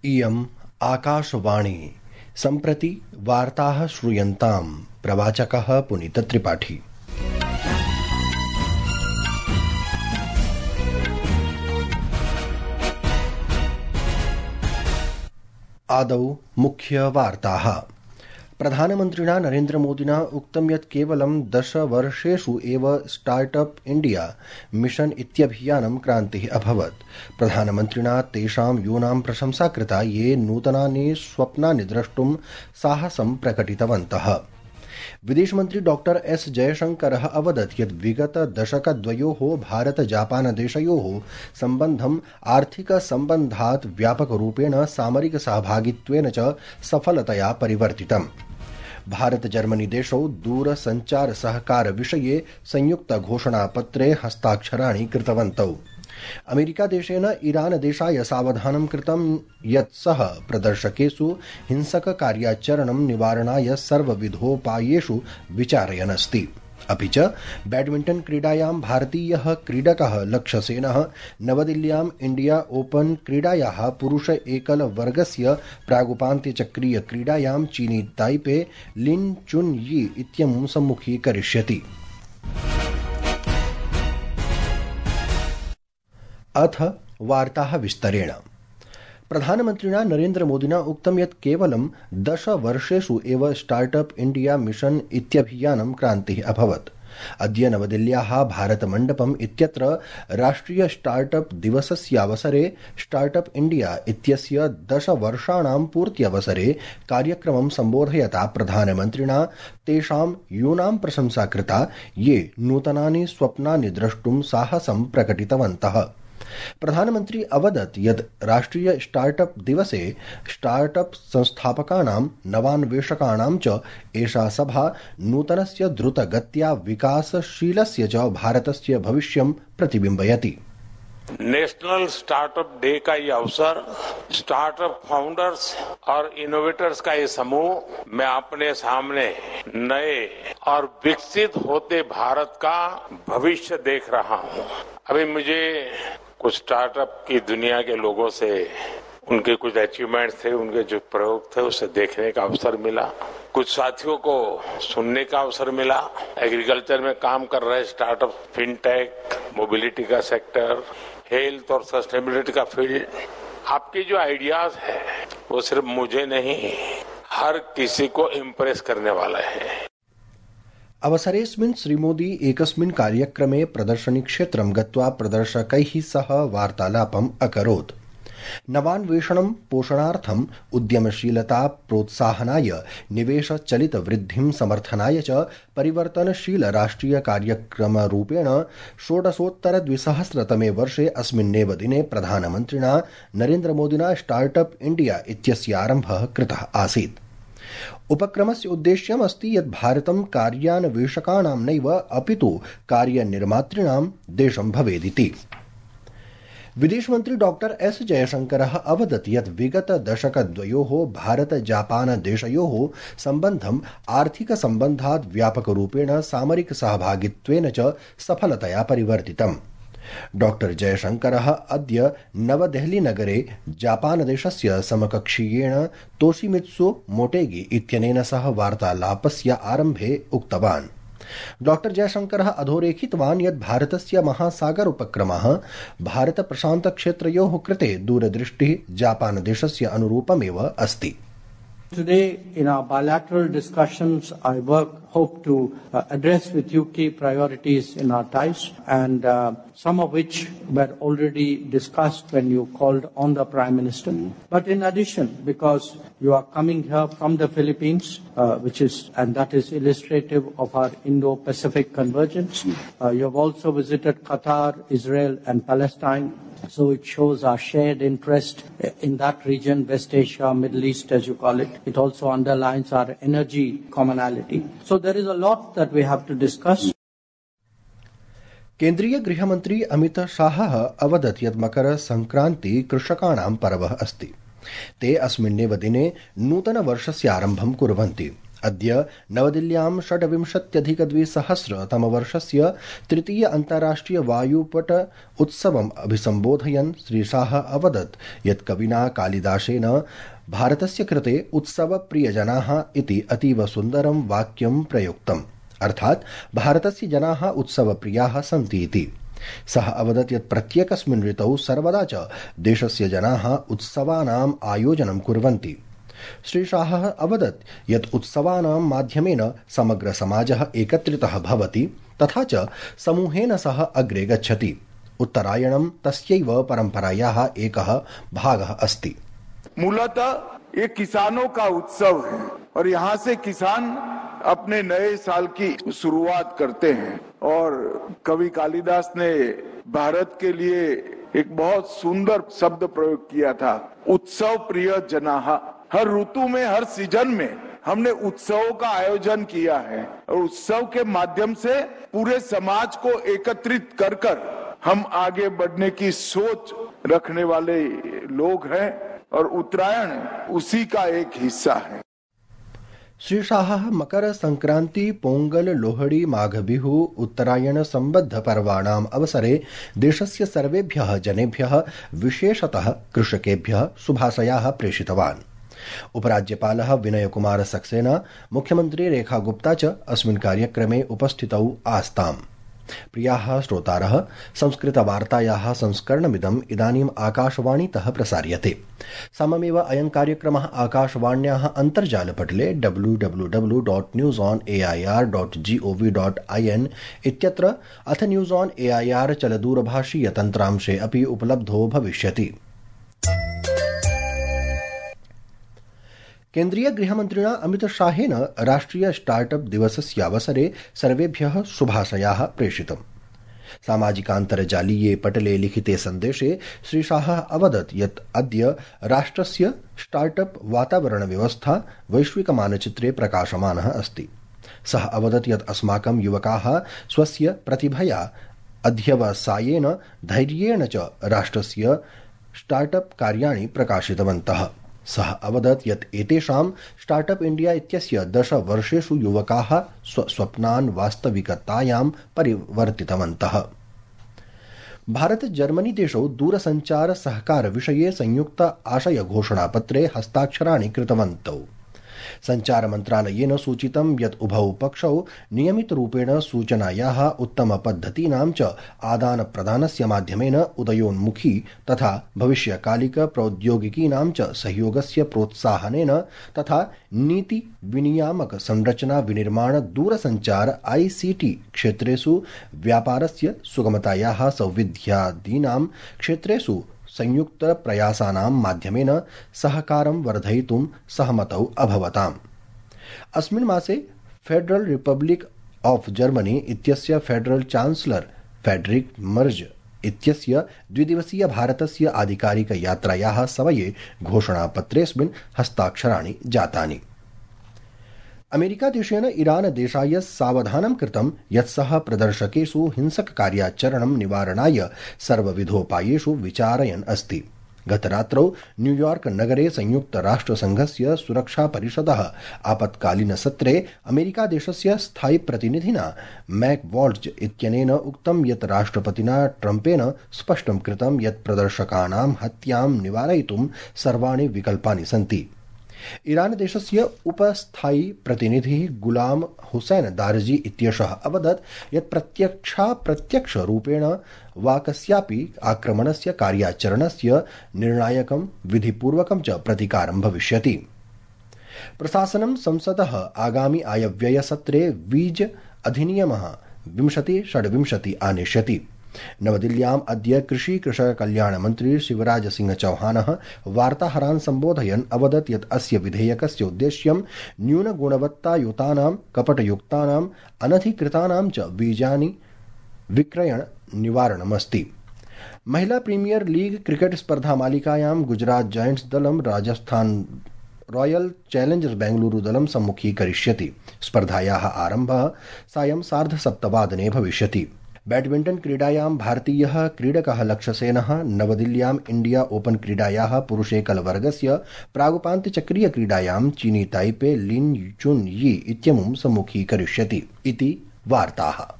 इयम् आकाशवाणी। सम्प्रति वार्ताः श्रूयन्ताम्। प्रवाचकः पुनीतत्रिपाठी। आदौ मुख्यवार्ताः। प्रधानमन्त्रिणा नरेन्द्रमोदिना उक्तं यत् केवलं 10 वर्षेषु एव स्टार्टअप इण्डिया मिशन इत्यभियानं क्रान्तिः अभवत्। प्रधानमन्त्रिणा तेषां यूनां प्रशंसा कृता ये नूतनानि स्वप्नानि द्रष्टुं साहसं प्रकटितवन्तः। विदेशमन्त्री डॉ एस जयशंकरः अवदत् यत् विगत दशकद्वयोः भारत जापान देशयोः सम्बन्धम् आर्थिकसम्बन्धात् व्यापकरूपेण सामरिक सहभागित्वेन च सफलतया परिवर्तितम्। भारत जर्मनी देशौ दूरसञ्चार सहकार विषये संयुक्त घोषणापत्रे हस्ताक्षराणि कृतवन्तौ। अमेरिका देशेन ईरान देशाय सावधानं कृतं यत् सः प्रदर्शकेषु हिंसक कार्याचरणं निवारणाय सर्वविधोपायेषु विचारयन् अस्ति। अपि च बैडमिण्टन क्रीडायां भारतीयः क्रीडकः लक्ष्यसेनः नवदिल्ल्यां इंडिया ओपन क्रीडायाः पुरुष एकल वर्गस्य प्रागुपान्त्यचक्रीय क्रीडायां चीनी ताइपे लिन चुन यी इत्यमुं सम्मुखीकरिष्यति। अथ वार्ताः विस्तरेण। प्रधानमन्त्रिणा नरेन्द्रमोदिना उक्तं यत् केवलं 10 वर्षेषु एव स्टार्टअप इण्डिया मिशन इत्यभियानं क्रान्तिः अभवत्। अद्य नवदिल्ल्याः भारतमण्डपम् इत्यत्र राष्ट्रिय स्टार्टअप दिवसस्यावसरे स्टार्टअप इण्डिया इत्यस्य 10 वर्षाणां पूर्त्यवसरे कार्यक्रमं सम्बोधयता प्रधानमन्त्रिणा तेषां यूनां प्रशंसा कृता ये नूतनानि स्वप्नानि द्रष्टुं साहसं प्रकटितवन्तः। प्रधानमन्त्री अवदत् यत् राष्ट्रिय स्टार्टअप दिवसे स्टार्टअप संस्थापकानां नवान्वेषकाणां च एषा सभा नूतनस्य द्रुतगत्या विकासशीलस्य च भारतस्य भविष्यं प्रतिबिम्बयति। नेशनल स्टार्टअप डे का ये अवसर स्टार्टअप फाउंडर्स और इनोवेटर्स का ये समूह मैं अपने सामने नए और विकसित होते भारत का भविष्य देख रहा हूँ। अभी मुझे कुछ स्टार्टअप की दुनिया के लोगों से उनके कुछ अचीवमेंट्स थे, उनके जो प्रयोग थे उसे देखने का अवसर मिला। कुछ साथियों को सुनने का अवसर मिला। एग्रीकल्चर में काम कर रहे स्टार्टअप, फिनटेक, मोबिलिटी का सेक्टर, हेल्थ और सस्टेनेबिलिटी का फील्ड, आपके जो आइडियाज है वो सिर्फ मुझे नहीं हर किसी को इम्प्रेस करने वाला है। अवसरेऽस्मिन् श्रीमोदी एकस्मिन् कार्यक्रमे प्रदर्शनीक्षेत्रं गत्वा प्रदर्शकैः सह वार्तालापम् अकरोत्। नवान्वेषणं पोषणार्थम् उद्यमशीलता प्रोत्साहनाय निवेशचलितवृद्धिं समर्थनाय च परिवर्तनशील राष्ट्रिय कार्यक्रमरूपेण 16उत्तर-2000 वर्षे अस्मिन्नेव दिने प्रधानमन्त्रिणा नरेन्द्रमोदिना स्टार्टअप इण्डिया इत्यस्य आरम्भः कृतः आसीत्। उपक्रमस्य उद्देश्यम् अस्ति यत् भारतं कार्यान्वेषकाणां नैव अपितु कार्यनिर्मातॄणां देशं भवेदिति। विदेशमन्त्री डॉ एस जयशंकरः अवदत् यत् विगत दशकद्वयोः भारत जापान देशयोः सम्बन्धम् आर्थिकसम्बन्धात् व्यापकरूपेण सामरिक सहभागित्वेन च सफलतया परिवर्तितम्। डॉ जयशंकरः अद्य नवदेहलीनगरे जापानदेशस्य समकक्षीयेण तोशिमित्सु मोटेगी इत्यनेन सह वार्तालापस्य आरम्भे उक्तवान्। डॉ जयशंकरः अधोरेखितवान् यत् भारतस्य महासागर उपक्रमः भारत प्रशान्त क्षेत्रयोः कृते दूरदृष्टिः जापानदेशस्य अनुरूपमेव अस्ति। Today, in our bilateral discussions, I hope to address with you key priorities in our ties, and some of which were already discussed when you called on the Prime Minister. But in addition, because you are coming here from the Philippines, and that is illustrative of our Indo-Pacific convergence, you have also visited Qatar, Israel, and Palestine. So it shows our shared interest in that region, West Asia, Middle East as you call it. It also underlines our energy commonality. So there is a lot that we have to discuss. केन्द्रीय गृहमन्त्री अमित शाहः अवदत् यत् मकर संक्रान्ति कृषकाणां पर्वः अस्ति। ते अस्मिन्नेव दिने नूतनवर्षस्य आरम्भं कुर्वन्ति। अद्य नवदिल्ल्यां 26,अधिक-2000 तृतीय अन्ताराष्ट्रिय वायुपट उत्सवम् अभिसम्बोधयन् श्रीशाह अवदत् यत् कविना कालिदासेन भारतस्य कृते उत्सवप्रियजनाः इति अतीव सुन्दरं वाक्यं प्रयुक्तम्, अर्थात् भारतस्य जनाः उत्सवप्रियाः सन्ति इति। सः अवदत् यत् प्रत्येकस्मिन् ऋतौ सर्वदा च देशस्य जनाः उत्सवानाम् आयोजनं कुर्वन्ति। श्रीशाहः अवदत् यत् उत्सवानां माध्यमेन समग्र समाजः एकत्रितः भवति तथा च समूहेन सह अग्रे गच्छति। उत्तरायणं तस्यैव परम्परायाः एकः भागः अस्ति। मूलतः ये किसानों का उत्सव है और यहाँ से किसान अपने नए साल की शुरुआत करते हैं। और कवि कालिदास ने भारत के लिए एक बहुत सुंदर शब्द प्रयोग किया था, उत्सव प्रिय जनाः। हर ऋतु में, हर सीजन में हमने उत्सवों का आयोजन किया है और उत्सव के माध्यम से पूरे समाज को एकत्रित कर कर हम आगे बढ़ने की सोच रखने वाले लोग हैं और उत्तरायण उसी का एक हिस्सा है। श्री शाहः मकर संक्रांति, पोंगल, लोहड़ी, माघबिहु, उत्तरायण संबद्ध पर्वाणाम् अवसरे देशस्य सर्वेभ्यः जनेभ्यः विशेषतः कृषकेभ्यः शुभाशयाः प्रेषितवान्। उपराज्यपालः विनय कुमार सक्सेना, मुख्यमंत्री रेखा गुप्ता च अस्मिन् कार्यक्रमे उपस्थितौ आस्ताम्। प्रियाः श्रोतारः, संस्कृतवार्तायाः संस्करणमिदम् इदानीम् आकाशवाणीतः प्रसार्यते। सममेव अयं कार्यक्रमः आकाशवाण्याः अन्तर्जालपटले www.newsonair.gov.in इत्यत्र अथ न्यूज़ ऑन एआईआर चलदूरभाषीयतन्त्रांशे अपि उपलब्धो भविष्यति। केन्द्रीय गृहमन्त्रिणा अमितशाहेन राष्ट्रिय स्टार्टअप दिवसस्यावसरे सर्वेभ्यः शुभाशयाः प्रेषितम्। सामाजिकान्तर्जालीये पटले लिखिते सन्देशे श्रीशाहः अवदत् यत् अद्य राष्ट्रस्य स्टार्टअप वातावरणव्यवस्था वैश्विकमानचित्रे प्रकाशमानः अस्ति। सः अवदत् यत् अस्माकं युवकाः स्वस्य प्रतिभया, अध्यवसायेन, धैर्येण च राष्ट्रस्य स्टार्टअप कार्याणि प्रकाशितवन्तः। सः अवदत् यत् एतेषां स्टार्टअप इण्डिया इत्यस्य 10 वर्षेषु युवकाः स्वप्नान् वास्तविकतायां परिवर्तितवन्तः। भारत जर्मनी देशौ दूरसञ्चार सहकार विषये संयुक्त आशय घोषणापत्रे हस्ताक्षराणि कृतवन्तौ। संचार मन्त्रालयेन सूचितं यत् उभौ पक्षौ नियमितरूपेण सूचनायाः उत्तमपद्धतीनां च आदानप्रदानस्य माध्यमेन उदयोन्मुखी तथा भविष्यकालिक प्रौद्योगिकीनां च सहयोगस्य प्रोत्साहनेन तथा नीति विनियामक संरचना विनिर्माण दूरसञ्चार ICT क्षेत्रेषु व्यापारस्य सुगमतायाः सौविध्यादीनां क्षेत्रेषु संयुक्त प्रयासानां माध्यमेन सहकारं वर्धयितुं सहमतौ अभवताम्। अस्मिन् मासे फेडरल रिपब्लिक ऑफ जर्मनी इत्यस्य फेडरल चांसलर फ्रेडरिक मर्ज इत्यस्य द्विदिवसीय भारतस्य आधिकारिक यात्रायाः समये घोषणापत्रेऽस्मिन् हस्ताक्षराणि जातानि। अमेरिकादेशेन ईरान देशाय सावधानं कृतं यत् सः प्रदर्शकेषु हिंसककार्याचरणं निवारणाय सर्वविधोपायेषु विचारयन् अस्ति। गतरात्रौ न्यूयॉर्क नगरे संयुक्तराष्ट्रसंघस्य सुरक्षापरिषदः आपत्कालीनसत्रे अमेरिकादेशस्य स्थायी प्रतिनिधिना मैक वॉल्ज इत्यनेन उक्तं यत् राष्ट्रपतिना ट्रम्पेन स्पष्टं कृतं यत् प्रदर्शकानां हत्यां निवारयितुं सर्वाणि विकल्पानि सन्ति। ईरान देशस्य उपस्थायी प्रतिनिधिः गुलाम हुसैन दारजी इत्येषः अवदत् यत् प्रत्यक्षरूपेण वा कस्यापि आक्रमणस्य कार्याचरणस्य निर्णायकं विधिपूर्वकं च प्रतिकारं भविष्यति। प्रशासनं संसदः आगामि आयव्ययसत्रे वीज अधिनियमः 2026 आनेष्यति। नवदिल्ल्याम् अद्य कृषि कृषक कल्याण मन्त्री शिवराज सिंह चौहानः वार्ताहरान् सम्बोधयन् अवदत् यत् अस्य विधेयकस्य उद्देश्यं न्यूनगुणवत्तायुतानां कपटयुक्तानाम् अनधिकृतानां च बीजानि विक्रयण निवारणमस्ति। महिला प्रीमियर लीग क्रिकेट स्पर्धा मालिकायां गुजरात जायंट्स दलं राजस्थान रॉयल चैलेंजर्स बेंगलुरु दलं सम्मुखीकरिष्यति। स्पर्धायाः आरम्भः सायं 7:30 भविष्यति। बैडमिण्टन क्रीडायां भारतीयः क्रीडकः लक्ष्यसेनः नवदिल्ल्याम् इंडिया ओपन क्रीडायाः पुरुषेकलवर्गस्य प्रागुपान्त्यचक्रीय क्रीडायां चीनी ताइपे लिन चुन यी इत्यमुं सम्मुखीकरिष्यति इति वार्ताः।